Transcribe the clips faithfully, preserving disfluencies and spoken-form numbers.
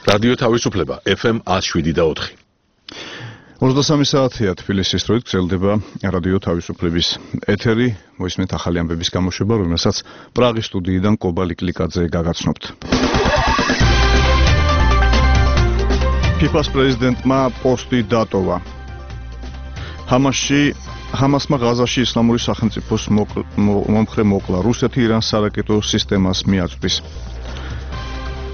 რადიო თავისუფლება ეფ ემ one oh seven და four. ოცდასამი საათია თბილისის დროით გრძელდება რადიო თავისუფლების ეთერი, მოისმენთ ახალი ამბების გამოშვება, რომელსაც პრაღის სტუდიიდან კობა ლიკლიკაძე გაგაცნობთ. ფიფას პრეზიდენტმა პოსტი დატოვა. ჰამასში ჰამასმა ღაზაში ისლამური სახელმწიფოს მომხრე მოკლა. რუსეთი ირანს სარაკეტო სისტემას მიაწვდის.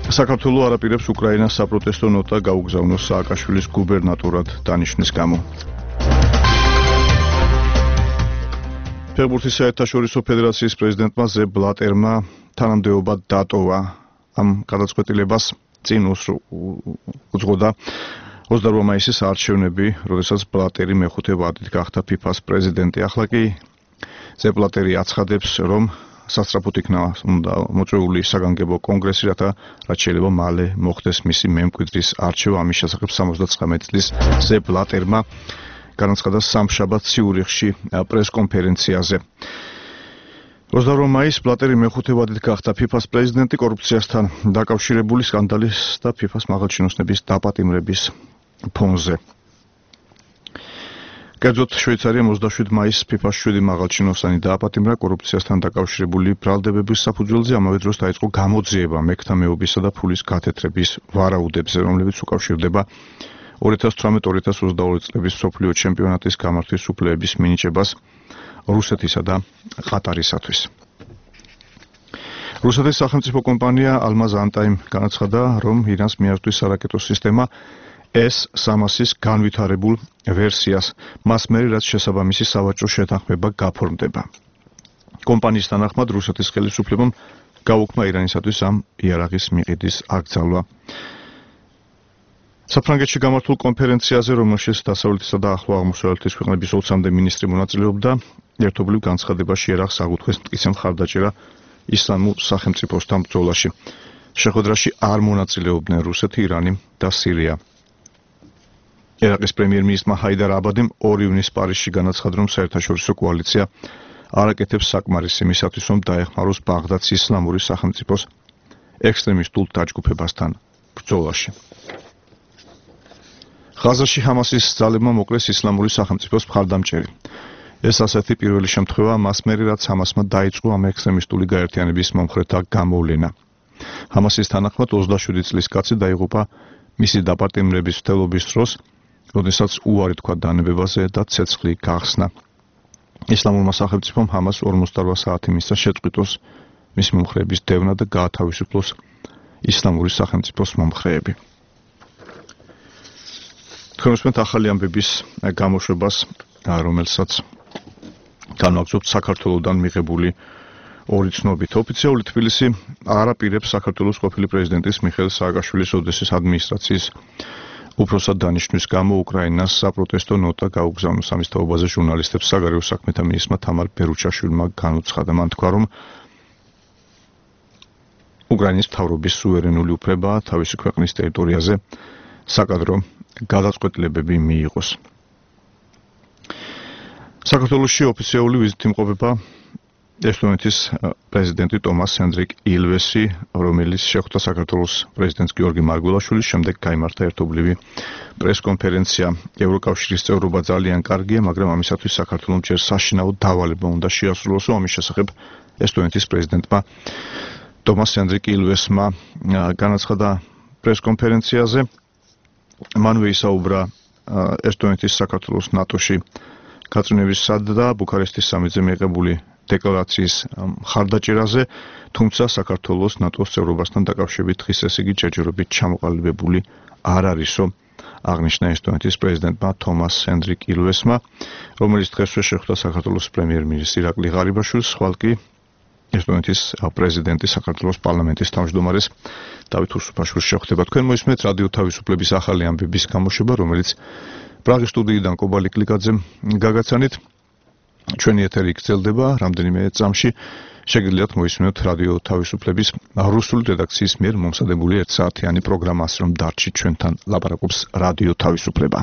საქართველო არ აპირებს უკრაინას საპროტესტო ნოტა გაუგზავნოს სააკაშვილის გუბერნატორად დანიშნვის გამო. ფეხბურთის საერთაშორისო ფედერაციის პრეზიდენტმა ზებ ბლატერმა თანამდებობა დატოვა. ამ გადაწყვეტილებას წინ უძღოდა ოცდაორ მაისის არჩევნები, როდესაც ბლატერი მეხუთე ვადით გახდა ფიფას პრეზიდენტი. ახლა კი ზებ ბლატერი აცხადებს, რომ სასწრაფოდ იქნა უნდა მოწვეული საგანგებო კონგრესი, რათა რაც შეიძლება მალე მოხდეს მისი მემკვიდრის არჩევა. ამის შესახებ სამოცდათხმეტი წლის ზებ ბლატერმა განაცხადა სამშაბათ ციურიხში პრესკონფერენციაზე. ოცდაორ მაისს ბლატერი მეხუთე ვადით გახდა ფიფას პრეზიდენტი კორუფციასთან დაკავშირებული სკანდალის და ფიფას მაღალჩინოსნების დაპატიმრების ფონზე. კერძოდ შვეიცარიამ ოცდაშვიდი მაისს ფიფას შვიდი მაღალჩინოსანი დააპატიმრა კორუფციასთან დაკავშირებული ბრალდებების საფუძველზე. ამავე დროს დაიწყო გამოძიება მექთა მეობისა და ფულის გათეთრების ვარაუდებზე, რომლებიც უკავშირდება ორი ათას თვრამეტ ორი ათას ოცდაორი წლების მსოფლიო ჩემპიონატის გამართვის უფლებების მინიჭებას რუსეთისა და ყატარისათვის. რუსეთის სახელმწიფო კომპანია ალმაზ ანტაიმ განაცხადა, რომ ირანს მიაწვდის სარაკეტო სისტემა ეს სამასის განვითარებულ ვერსიას, მას მერე რაც შესაბამისი სავაჭრო შეთანხმება გაფორმდება. კომპანიის თანახმად რუსეთის ხელისუფლებამ გაუქმა ირანისათვის ამ იარაღის მიყიდის აკრძალვა. საფრანგეთში გამართულ კონფერენციაზე, რომელშიც დასავლეთისა და ახლო აღმოსავლეთის ქვეყნების ოცამდე მინისტრი მონაწილეობდა, ერთობლივ განცხადებაში იარაღს აღუთქვეს მტკიცე მხარდაჭერა ისლამურ სახელმწიფოსთან ბრძოლაში. შეხვედრაში არ მონაწილეობდნენ რუსეთი, ირანი და სირია. ერაყის პრემიერ-მინისტრმა ჰაიდარ აბადიმ ორი ივნისს პარიზში განაცხადა, რომ საერთაშორისო კოალიცია არ აკეთებს საკმარისს იმისათვის, რომ დაეხმაროს ბაღდადის ისლამური სახელმწიფოს ექსტრემისტულ დაჯგუფებასთან ბრძოლაში. ღაზაში ჰამასის ძალებმა მოკლეს ისლამური სახელმწიფოს მხარდამჭერი. ეს ასეთი პირველი შემთხვევა მას მერე, რაც ჰამასმა დაიწყო ამ ექსტრემისტული გაერთიანების მომხრეთა გამოვლენა. ჰამასის თანახმად ოცდაშვიდი წლის კაცი დაიღუპა მისი დაპატიმრების მცდელობის დროს, როდესაც უარი თქვა დანებებაზე და ცეცხლი გახსნა. ისლამურმა სახელმწიფომ ჰამას ორმოცდაორ საათი მისცა შეწყვიტოს მის მომხრეების დევნა და გაათავისუფლოს ისლამური სახელმწიფოს მომხრეები. თქვენ უსმენთ ახალი ამბების გამოშვებას, რომელსაც განვაგრძობთ საქართველოსდან მიღებული ორი ცნობით. ოფიციალური თბილისი არ აპირებს საქართველოს ყოფილი პრეზიდენტის მიხეილ სააკაშვილის ოდესის ადმინისტრაციის უფროსად დანიშნვის გამო უკრაინას საპროტესტო ნოტა გაუგზავნოს. ამის თაობაზე ჟურნალისტებს საგარეო საქმეთა მინისტრმა თამარ ბერუჩაშვილმა განუცხადა. მან თქვა, რომ უკრაინის მთავრობის სუვერენული უფლება თავისი ქვეყნის ტერიტორიაზე საკადრო გადაწყვეტილებები მიიღოს. საქართველოში ოფიციალური ვიზიტი იმყოფება ესტონეთის პრეზიდენტი ტომას ჰენდრიკ ილვესი, რომელიც შეხვდა საქართველოს პრეზიდენტს გიორგი მარგველაშვილის, შემდეგ გაიმართა ერთობლივი პრესკონფერენცია. ევროკავშირის წევრობა ძალიან კარგია, მაგრამ ამისათვის საქართველოს ჯერ საშინაო დავალება უნდა შეასრულოს. ამის შესახებ ესტონეთის პრეზიდენტმა ტომას ჰენდრიკ ილვესმა განაცხადა პრესკონფერენციაზე. მანვე ისაუბრა ესტონეთის საქართველოს ნატოში გაწვევებისა და ბუქარესტის სამიტზე მიღებული დეკლარაციის მხარდაჭერაზე, თუმცა საქართველოს ნატოს წევრობასთან დაკავშირებით დღის ეს იგი ჯერჯერობით ჩამოყალიბებული არ არისო, აღნიშნა ესტონეთის პრეზიდენტმა თომას ჰენდრიკ ილვესმა, რომელიც დღესვე შეხვდა საქართველოს პრემიერ-მინისტრ ირაკლი ღარიბაშვილს, ხვალ კი ესტონეთის პრეზიდენტი საქართველოს პარლამენტის თავმჯდომარეს დავით უსუფაშვილს შეხვდება. თქვენ მოისმენთ რადიო თავისუფლების ახალი ამბების გამოშვება, რომელიც პრაღის სტუდიიდან კობა ლიკლიკაძემ გაგაცანით. ჩვენი ეთერი გრძელდება რამდენიმე წამში. შეგიძლიათ მოისმინოთ რადიო თავისუფლების რუსული რედაქციის მიერ მომზადებული ერთ საათიანი პროგრამა, რომ დარჩით ჩვენთან ლაპარაკობს რადიო თავისუფლება.